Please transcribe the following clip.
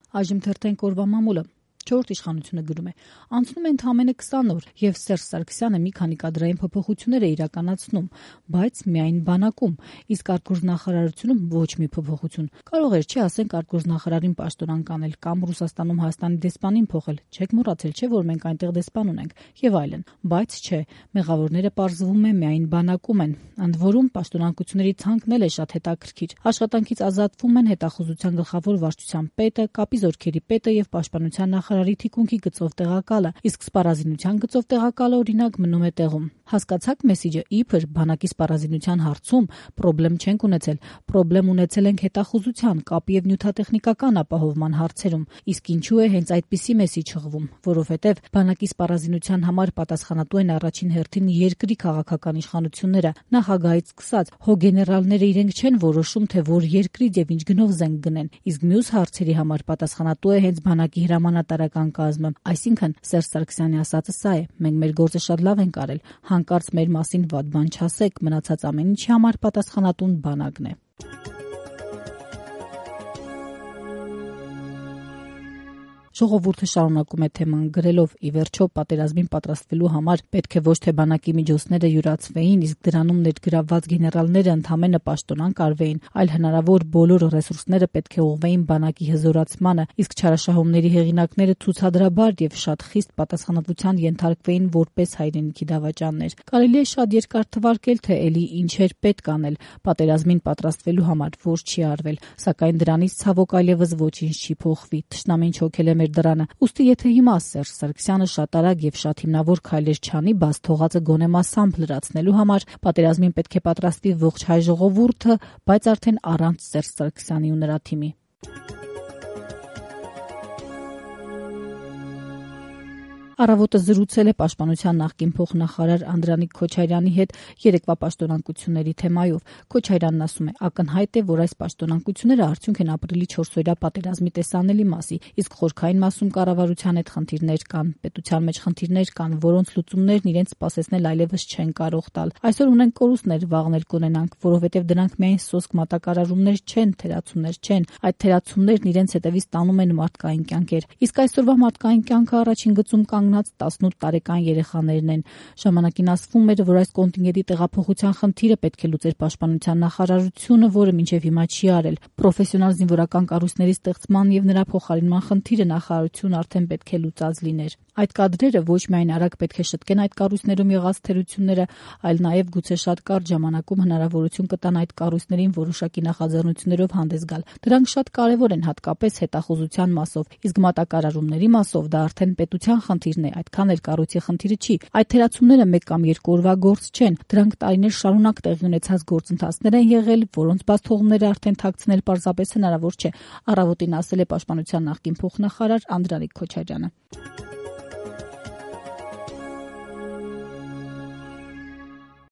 Այժմ թերթենք օրվա մամուլը։ 4 իշխանությունը գրում է. անցնում է ընդամենը 20 օր, եւ Սերժ Սարգսյանը մի քանի կադրային փոփոխություններ է իրականացնում, բայց միայն բանակում, իսկ արտգործնախարարությունում ոչ մի փոփոխություն։ Կարող էր, չէ, ասենք արտգործնախարարին պաշտոնանկ անել կամ Ռուսաստանում Հայաստանի դեսպանին փոխել, չեք մոռացել, չէ, որ մենք այնտեղ դեսպան ունենք, եւ այլն, բայց չէ, մեղավորները պարզվում է միայն բանակում են։ Ընդ որում պաշտոնանկությունների ցանկն էլ է շատ հետաքրքիր։ Աշխատանքից ազատվում են հետախուզության գլխավոր վարչության պետը, կապի զորքերի պետը եւ պաշտպանության նախարարի թիկունքի գծով տեղակալը, իսկ սպառազինության գծով տեղակալը օրինակ մնում է տեղում։ Հասկացաք մեսիջը, իբր բանակի սպառազինության հարցում պրոբլեմ չենք ունեցել, պրոբլեմ ունեցել ենք հետախուզության, կապի եւ նյութատեխնիկական ապահովման հարցերում, իսկ ինչու է հենց այդպիսի մեսիջ հղվում, որովհետեւ բանակի սպառազինության համար պատասխանատու են առաջին հերթին երկրի քաղաքական իշխանությունները, նախագահից սկսած, հո գեներալները իրենք չեն որոշում, թե որ երկրից եւ ինչ գնով զենք գնեն, իսկ մյուս հարցերի համար պատասխանատու է հենց բանակի հրամանատարական կազմը։ Այսինքն Սերժ Սարգսյանի ասածը սա է. մենք մեր գործը շատ լավ ենք արել, հանկարծ մեր մասին վատ բան չասեք, մնացած ամեն ինչի համար պատասխանատուն բանակն է։ Ժողովուրդը շարունակում է թեման գրելով. ի վերջո պատերազմին պատրաստվելու համար պետք է ոչ թե բանակի միջոցները յուրացվեին, իսկ դրանում ներգրավված գեներալները ընդամենը պաշտոնանկ արվեին, այլ հնարավոր բոլոր ռեսուրսները պետք է ուղղվեին բանակի հզորացմանը, իսկ չարաշահումների հեղինակները ցուցադրաբար եւ շատ խիստ պատասխանատվության ենթարկվեին որպես հայրենիքի դավաճաններ։ Կարելի է շատ երկար թվարկել, թե էլի ինչեր պետք անել պատերազմին պատրաստվելու համար, որ չի արվել, սակայն դրանից ցավոք այլևս ոչինչ չի փոխվի։ Թշնամին չոքել է մեր դրանը։ Ուստի եթե հիմա Սերժ Սարգսյանը շատ արագ եւ շատ հիմնավոր քայլեր չանի, բաց թողածը գոնե մասամբ լրացնելու համար, պատերազմին պետք է պատրաստվի ողջ հայ ժողովուրդը, բայց արդեն առանց Սերժ Սարգսյանի ու նրա թիմի։ Առավոտը զրուցել է պաշտպանության նախկին փոխնախարար Անդրանիկ Քոչարյանի հետ երեկվա պաշտոնանկությունների թեմայով։ Քոչարյանն ասում է. ակնհայտ է, որ այս պաշտոնանկությունները արդյունք են ապրիլի 4-օրյա պատերազմի տեսանելի մասի, իսկ խորքային մասում կառավարության հետ խնդիրներ կան, պետության մեջ խնդիրներ կան, որոնց լուծումներն իրենց սպասեցնել այլևս չեն կարող տալ։ Այսօր ունենք կորուստներ, վաղներ կունենանք, որովհետև դրանք միայն սոսկ մատակարարումներ չեն, թերացումներ չեն։ Այդ թերացումներն իրենց հետևից տանում են մարդկային կյանքեր։ Իսկ այսօրվա մարդկային կյանքը առաջին գծում կանգնած 18 տարեկան երեխաներն են։ Ժամանակին ասվում էր, որ այս կոնտինգենտի տեղափոխության խնդիրը պետք է լուծեր պաշտպանության նախարարությունը, որը մինչև հիմա չի արել։ Պրոֆեսիոնալ զինվորական կառույցների ստեղծման եւ նրա փոխարինման խնդիրը նախարարությունը արդեն պետք է լուծած լիներ։ Այդ կադրերը ոչ միայն արագ պետք է շտկեն այդ կառույցներում եղած թերությունները, այլ նաեւ գուցե շատ կարճ ժամանակում հնարավորություն կտան այդ կառույցներին որոշակի նախաձեռնություններով հանդես գալ։ Դրանք շատ կարեւոր են հատկապես հետախուզության մասով, իսկ մատակարարումների մասով դա արդեն պետության խնդիրն է, այդքան էլ կառույցի խնդիրը չի։ Այդ թերացումները 1 կամ 2 օրվա գործ չեն, դրանք տարիներ շարունակ տեղի ունեցած գործընթացներ են եղել, որոնց բաց թողումները արդեն թաքցնել պարզապես հնարավոր չէ։ Առավոտին ասել է պաշտպանության նախկին փոխնախարար Անդրանիկ Քոչարյանը։